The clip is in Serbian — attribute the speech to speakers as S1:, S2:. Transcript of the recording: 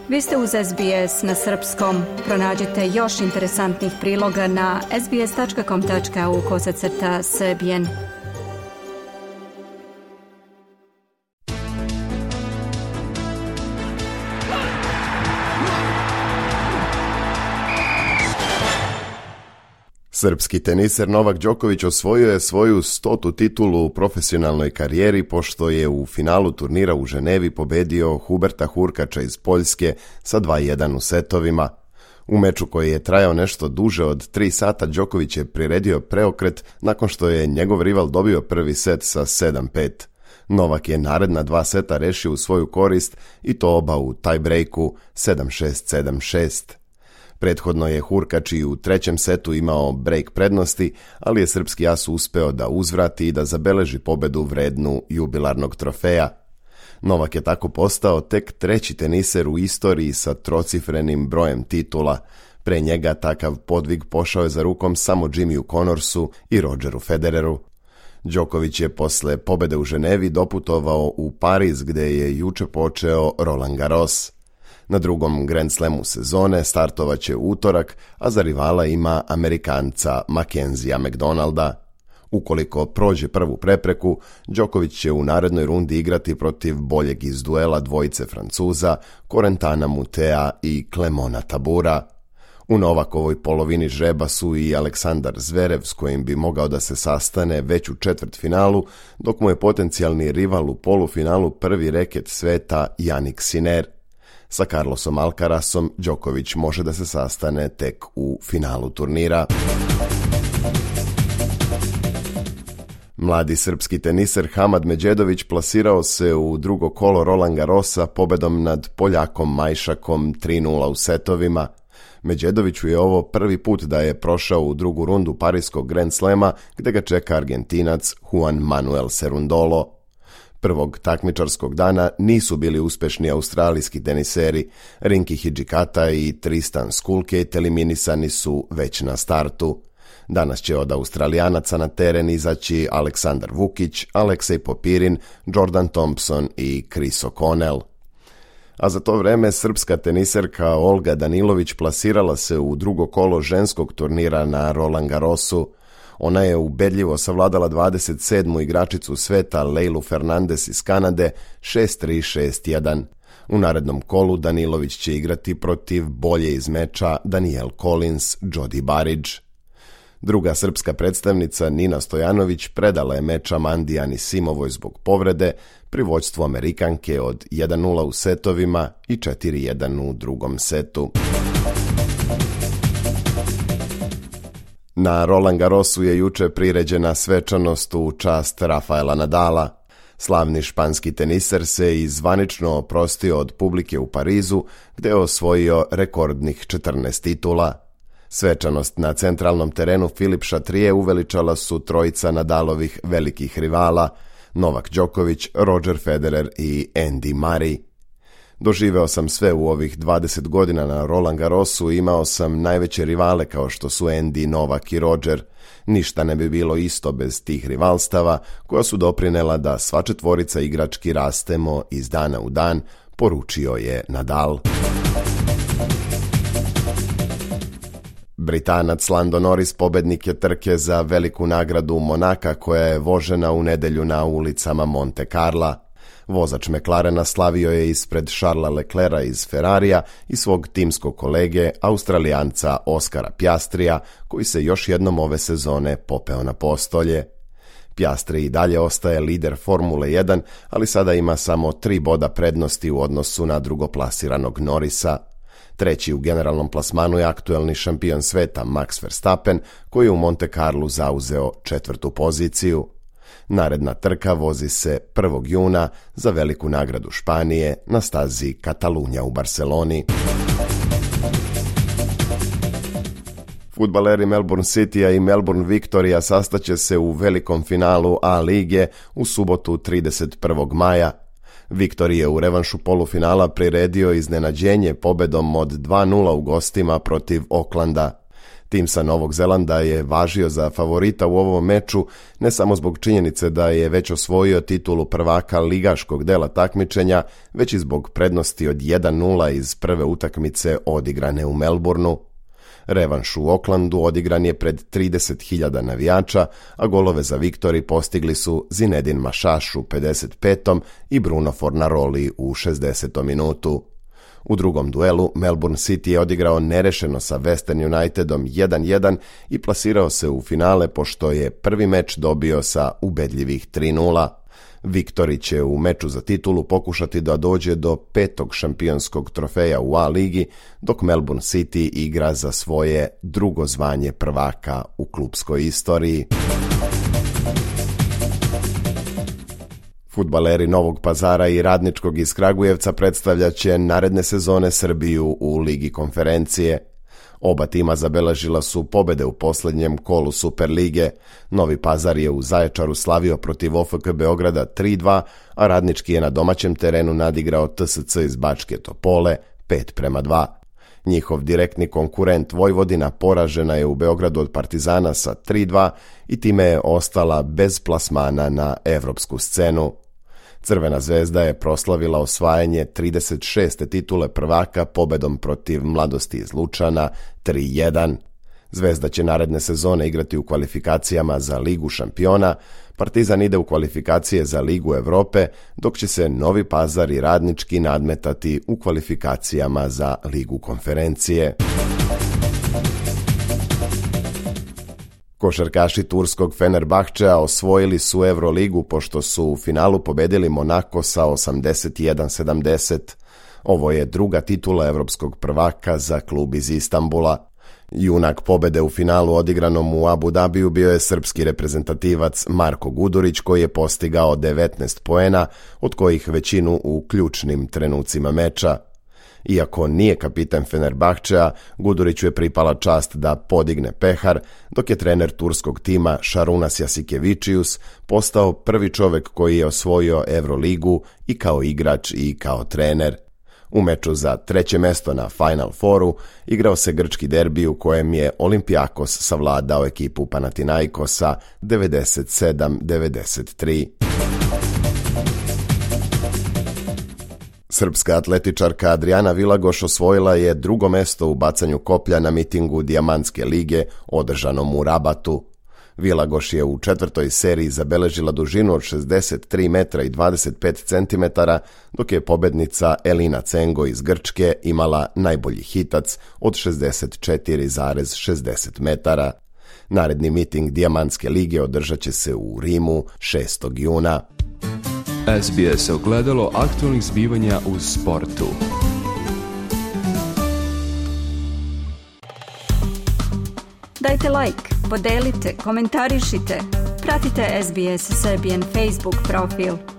S1: Vi ste uz SBS na srpskom. Pronađite još interesantnih priloga na sbs.com.au/srbijen.
S2: Srpski teniser Novak Đoković osvojio je svoju 100. titulu u profesionalnoj karijeri pošto je u finalu turnira u Ženevi pobedio Huberta Hurkača iz Poljske sa 2:1 u setovima. U meču koji je trajao nešto duže od 3 sata Đoković je priredio preokret nakon što je njegov rival dobio prvi set sa 7:5. Novak je naredna 2 seta rešio u svoju korist i to oba u tiebreaku 7:6, 7:6. Prethodno je Hurkač i u trećem setu imao break prednosti, ali je srpski as uspeo da uzvrati i da zabeleži pobedu vrednu jubilarnog trofeja. Novak je tako postao tek 3. teniser u istoriji sa trocifrenim brojem titula. Pre njega takav podvig pošao je za rukom samo Jimmyu Connorsu i Rogeru Federeru. Đoković je posle pobede u Ženevi doputovao u Pariz gde je juče počeo Roland Garros. Na drugom Grand Slamu sezone startovaće u utorak, a za rivala ima Amerikanca Mackenzija McDonalda. Ukoliko prođe prvu prepreku, Đoković će u narednoj rundi igrati protiv boljeg iz duela dvojice Francuza, Corentana Mutea i Clemona Tabura. U Novakovoj polovini žreba su i Aleksandar Zverev s kojim bi mogao da se sastane već u četvrtfinalu, dok mu je potencijalni rival u polufinalu prvi reket sveta Jannik Sinner. Sa Carlosom Alcarasom Đoković može da se sastane tek u finalu turnira. Mladi srpski teniser Hamad Medjedović plasirao se u drugo kolo Roland Garrosa pobedom nad Poljakom Majšakom 3:0 u setovima. Medjedoviću je ovo prvi put da je prošao u drugu rundu Pariskog Grand Slema gde ga čeka Argentinac Juan Manuel Cerundolo. Prvog takmičarskog dana nisu bili uspešni australijski teniseri. Rinki Hidžikata i Tristan Skulkejt eliminisani su već na startu. Danas će od Australijanaca na teren izaći Aleksandar Vukić, Aleksej Popirin, Jordan Thompson i Chris O'Connell. A za to vreme srpska teniserka Olga Danilović plasirala se u drugo kolo ženskog turnira na Roland Garrosu. Ona je ubedljivo savladala 27. igračicu sveta Leilu Fernandez iz Kanade 6:3, 6:1. U narednom kolu Danilović će igrati protiv bolje iz meča Danielle Collins, Jodi Barić. Druga srpska predstavnica Nina Stojanović predala je meč Amandi Anisimovoj zbog povrede pri vođstvu Amerikanke od 1:0 u setovima i 4:1 u drugom setu. Na Roland Garrosu je juče priređena svečanost u čast Rafaela Nadala. Slavni španski teniser se i zvanično oprostio od publike u Parizu, gde je osvojio rekordnih 14 titula. Svečanost na centralnom terenu Filip Chatrier uveličala su trojica Nadalovih velikih rivala, Novak Đoković, Roger Federer i Andy Murray. Doživeo sam sve u ovih 20 godina na Roland Garrosu, imao sam najveće rivale kao što su Andy, Novak i Roger. Ništa ne bi bilo isto bez tih rivalstava koja su doprinela da sva četvorica igrački rastemo iz dana u dan, poručio je Nadal. Britanac Lando Norris pobednik je trke za veliku nagradu Monaka koja je vožena u nedelju na ulicama Monte Carla. Vozač McLarena slavio je ispred Charlesa Leclerca iz Ferrarija i svog timskog kolege, Australijanca Oskara Piastrija, koji se još jednom ove sezone popeo na postolje. Piastri i dalje ostaje lider Formule 1, ali sada ima samo 3 boda prednosti u odnosu na drugoplasiranog Norrisa. Treći u generalnom plasmanu je aktuelni šampion sveta Max Verstappen, koji je u Monte Carlu zauzeo 4. poziciju. Naredna trka vozi se 1. juna za veliku nagradu Španije na stazi Katalunja u Barceloni. Fudbaleri Melbourne Citya i Melbourne Victoria sastaće se u velikom finalu A lige u subotu 31. maja. Victor je u revanšu polufinala priredio iznenađenje pobedom od 2:0 u gostima protiv Aucklanda. Tim sa Novog Zelanda je važio za favorita u ovom meču ne samo zbog činjenice da je već osvojio titulu prvaka ligaškog dela takmičenja, već i zbog prednosti od 1-0 iz prve utakmice odigrane u Melbourneu. Revanš u Aucklandu odigran je pred 30.000 navijača, a golove za viktori postigli su Zinedine Mašaš u 55. i Bruno Fornaroli u 60. minutu. U drugom duelu Melbourne City je odigrao nerešeno sa Western Unitedom 1-1 i plasirao se u finale pošto je prvi meč dobio sa ubedljivih 3-0. Viktori će u meču za titulu pokušati da dođe do 5. šampionskog trofeja u A ligi, dok Melbourne City igra za svoje drugo zvanje prvaka u klupskoj istoriji. Fudbaleri Novog Pazara i Radničkog iz Kragujevca predstavljaće naredne sezone Srbiju u Ligi konferencije. Oba tima zabeležila su pobede u posljednjem kolu Superlige. Novi Pazar je u Zaječaru slavio protiv OFK Beograda 3-2, a Radnički je na domaćem terenu nadigrao TSC iz Bačke Topole 5-2. Njihov direktni konkurent Vojvodina poražena je u Beogradu od Partizana sa 3-2 i time je ostala bez plasmana na evropsku scenu. Crvena zvezda je proslavila osvajanje 36. titule prvaka pobedom protiv Mladosti iz Lučana 3-1. Zvezda će naredne sezone igrati u kvalifikacijama za Ligu šampiona, Partizan ide u kvalifikacije za Ligu Evrope, dok će se Novi Pazar i Radnički nadmetati u kvalifikacijama za Ligu konferencije. Košarkaši turskog Fenerbahčea osvojili su Euroligu pošto su u finalu pobedili Monako sa 81-70. Ovo je druga titula evropskog prvaka za klub iz Istanbula. Junak pobede u finalu odigranom u Abu Dhabiju bio je srpski reprezentativac Marko Gudurić koji je postigao 19 poena, od kojih većinu u ključnim trenucima meča. Iako nije kapitan Fenerbahčea, Guduriću je pripala čast da podigne pehar, dok je trener turskog tima Šarunas Jasikevičius postao prvi čovjek koji je osvojio Euroligu i kao igrač i kao trener. U meču za treće mesto na Final Fouru igrao se grčki derbi u kojem je Olympiakos savladao ekipu Panathinaikosa 97-93. Srpska atletičarka Adriana Vilagoš osvojila je drugo mesto u bacanju koplja na mitingu Dijamantske lige održanom u Rabatu. Vilagoš je u četvrtoj seriji zabeležila dužinu od 63 metra i 25 centimetara, dok je pobednica Elina Cengo iz Grčke imala najbolji hitac od 64,60 metara. Naredni miting Dijamantske lige održat će se u Rimu 6. juna.
S3: SBS ogledalo aktualnih zbivanja u sportu.
S1: Dajte like, podelite, komentarišite. Pratite SBS Serbian Facebook profil.